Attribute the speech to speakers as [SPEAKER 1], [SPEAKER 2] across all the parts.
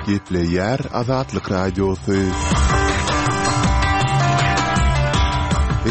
[SPEAKER 1] Gepleýär Azatlyk Radiosy.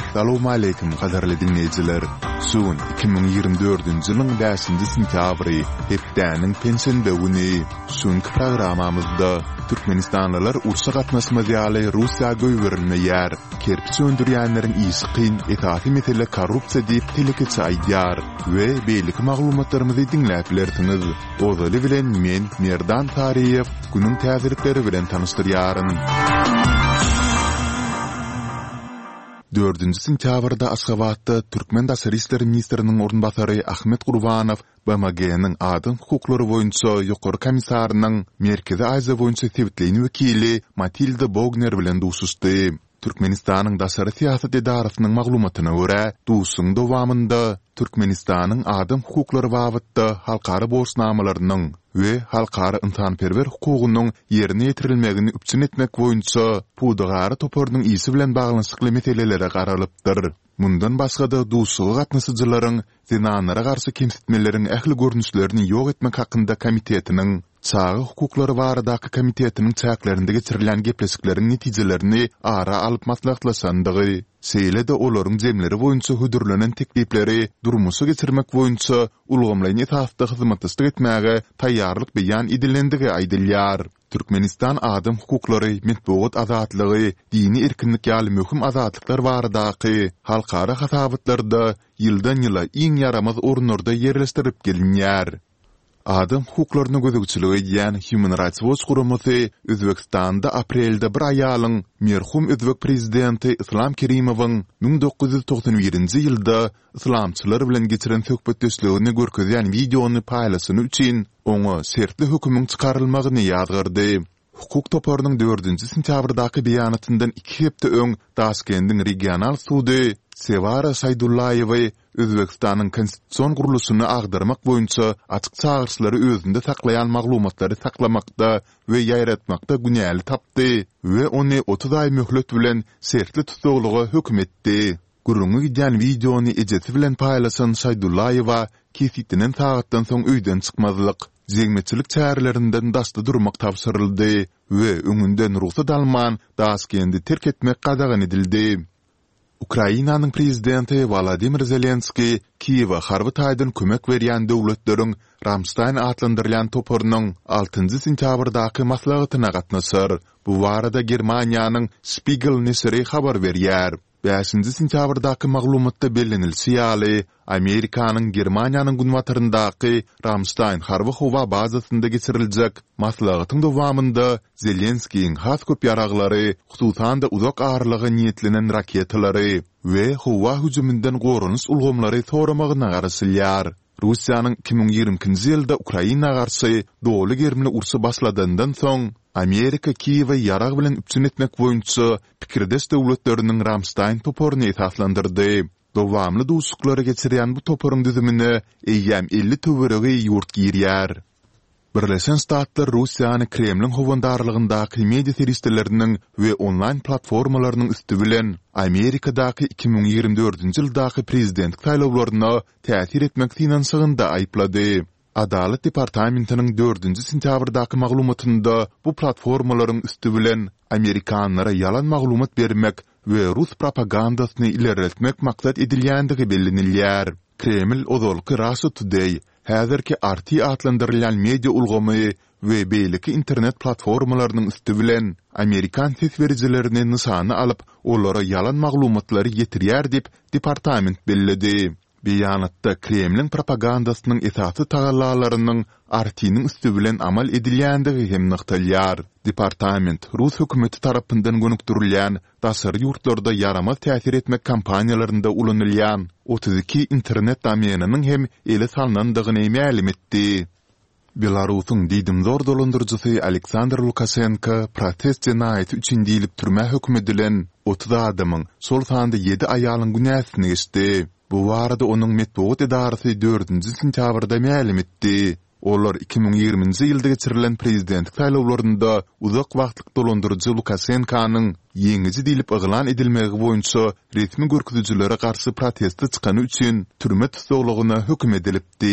[SPEAKER 1] Essalawmaleýkim gadyrly diňleýjiler! Şu gün 2024-nji ýylyň bäşinji sentýabry, hepdäniň penşenbe güni. Şu günki programmamyzda Türkmenistanlylar urşa gatnaşmaz ýaly Russiýa goýberilmeýär. Kerpiç öndürýänleriň işi kyn, esasy mesele korrupsiýa diýip telekeçi aýdýar we beýleki maglumatlarymyzy diňläp bilersiňiz. Ozaly bilen men, Merdan Saryýew, günüň täzelikleri bilen tanyşdyrýaryn. Dördünji sentýabrda Aşgabatda türkmen daşary işler ministriniň orunbasary Ahmet Gurbanow BMG-niň Adam hukuklary boýunça Ýokary komissarynyň Merkezi Aziýa boýunça sebitleýin wekili Matilda Bogner bilen duşuşdy. Türkmenistanyň daşary syýasat edarasynyň maglumatyna görä, duşuşygyň dowamynda Türkmenistanyň adam hukuklary babatda halkara borçnamalarynyň we halkara ynsanperwer hukugynyň ýerine ýetirilmegini üpjün etmek boýunça Pudagara toparynyň işi bilen baglanyşykly meselelere garalypdyr. Mundan başga-da, duşuşyga gatnaşyjylaryň Zenanlara garşy kemsitmeleriň ähli görnüşlerini ýok etmek hakynda komitetiniň Çaga hukuklary baradaky komitetiniň çäklerinde geçirilýän gepleşikleriň netijelerini ara alyp maslahatlaşandygy, şeýle-de olaryň jemleri boýunça hödürlenen teklipleri durmuşa geçirmek boýunça ulgamlaýyn esasda hyzmatdaşlyk etmäge taýýarlyk beýan edilendigi aýdylýar. Türkmenistan adam hukuklary, metbugat azatlygy, dini erkinlik ýaly möhüm azatlyklar baradaky halkara hasabatlarda ýyldan-ýyla iň ýaramaz orunlarda ýerleşdirilip gelinýär. Adam hukuklaryna gözegçilik edýän Human Rights Watch guramasy Özbegistanda aprelde bir aýalyň merhum özbek prezidenti Yslam Kerimowyň 1991-nji ýylda yslamçylar bilen geçiren söhbetdeşligini görkezýän wideony paýlaşany üçin oňa şertli hökümiň çykarylmagyny ýazgardy. Hukuk toparynyň dördünji sentýabrdaky beýanatyndan iki hepde öň Daşkendiň regional sudy Sewara Şaýdullaýewi Özbegistanyň konstitusion gurluşyny agdarmak boýunça açyk çagyryşlary özünde saklaýan maglumatlary saklamakda we ýaýratmakda günäli tapdy we ony 30 aý möhlet bilen şertli tussaglyga höküm etdi. Gürrüňi gidýän wideony ejesi bilen paýlaşan Şaýdullaýewa kesgitlenen sagatdan soň öýden çykmazlyk, jemgyýetçilik çärelerinden daşda durmak tabşyryldy we öňünden rugsat alman Daşkendi terk etmek gadagan edildi. Ukrainanyň prezidenti Wolodymyr Zelenskiý Kiýewe harby taýdan kömek berýän döwletleriň Ramştaýn atlandyrylýan toparynyň altynjy sentýabrdaky maslahatyna gatnaşar. Bu barada Germaniýanyň Spiegel neşiri habar berýär. Bäşinji sentýabrdaky maglumatda bellenilişi ýaly, Amerikanyň Germaniýanyň günbataryndaky Ramştaýn harby-howa bazasynda geçiriljek maslahatyň dowamynda Zelenskiýiň has köp ýaraglary, hususan-da uzak aralyga niýetlenen raketalary we howa hüjüminden goranyş ulgamlary soramagyna garaşylýar. Russiýanyň 2022-nji ýylda Ukraina garşy doly gerimli urşy başladandan soň, Amerika Kiýewi ýarag bilen üpjün etmek boýunça pikirdeş döwletleriniň Ramştaýn toparyny esaslandyrdy. Dowamly duşuşyklary geçirýän bu toparyň düzümine eýýäm 50 töweregi ýurt girýär. Birleşen Ştatlar Russiýany Kremliň howandarlygyndaky media serişdeleriniň we onlaýn platformalarynyň üsti bilen Amerikadaky 2024-nji ýyldaky prezidentlik saýlawlaryna täsir etmek synanyşygynda aýyplady. Adalat departamentiniň dördünji sentýabrdaky maglumatynda bu platformalaryň üsti bilen amerikanlara ýalan maglumat bermek we rus propagandasyny ilerletmek maksat edilýändigi bellenilýär. Kreml ozalky Russia Today, häzirki RT atlandyrylýan media ulgamy we beýleki internet platformalarynyň üsti bilen amerikan ses berijilerini nyşana alyp, olara ýalan maglumatlary ýetirýär diýip, departament belledi. Beýanatda Kremliň propagandasynyň esasy tagallalarynyň RT-niň üsti bilen amal edilýändigi hem nygtalýar. Departament rus hökümeti tarapyndan gönükdirilýän daşary ýurtlarda ýaramaz täsir etmek kampaniýalarynda ulanylýan 32 internet domeniniň hem ele salnandygyny mälim etdi. Belarusyň diýdimzor dolandyryjysy Aleksandr Lukaşenko protest jenaýaty üçin diýlip türmä höküm edilen 30 adamyň, şol sanda ýedi aýalyň günäsini geçdi. Bu barada onuň metbugat edarasy dördünji sentýabrda mälim etdi. Olar 2020-nji ýylda geçirilen prezidentlik saýlawlarynda uzak wagtlyk dolandyryjy Lukaşenkonyň ýeňiji diýlip yglan edilmegi boýunça resmi görkezijilere garşy proteste çykany üçin türme tussaglygyna höküm edilipdi.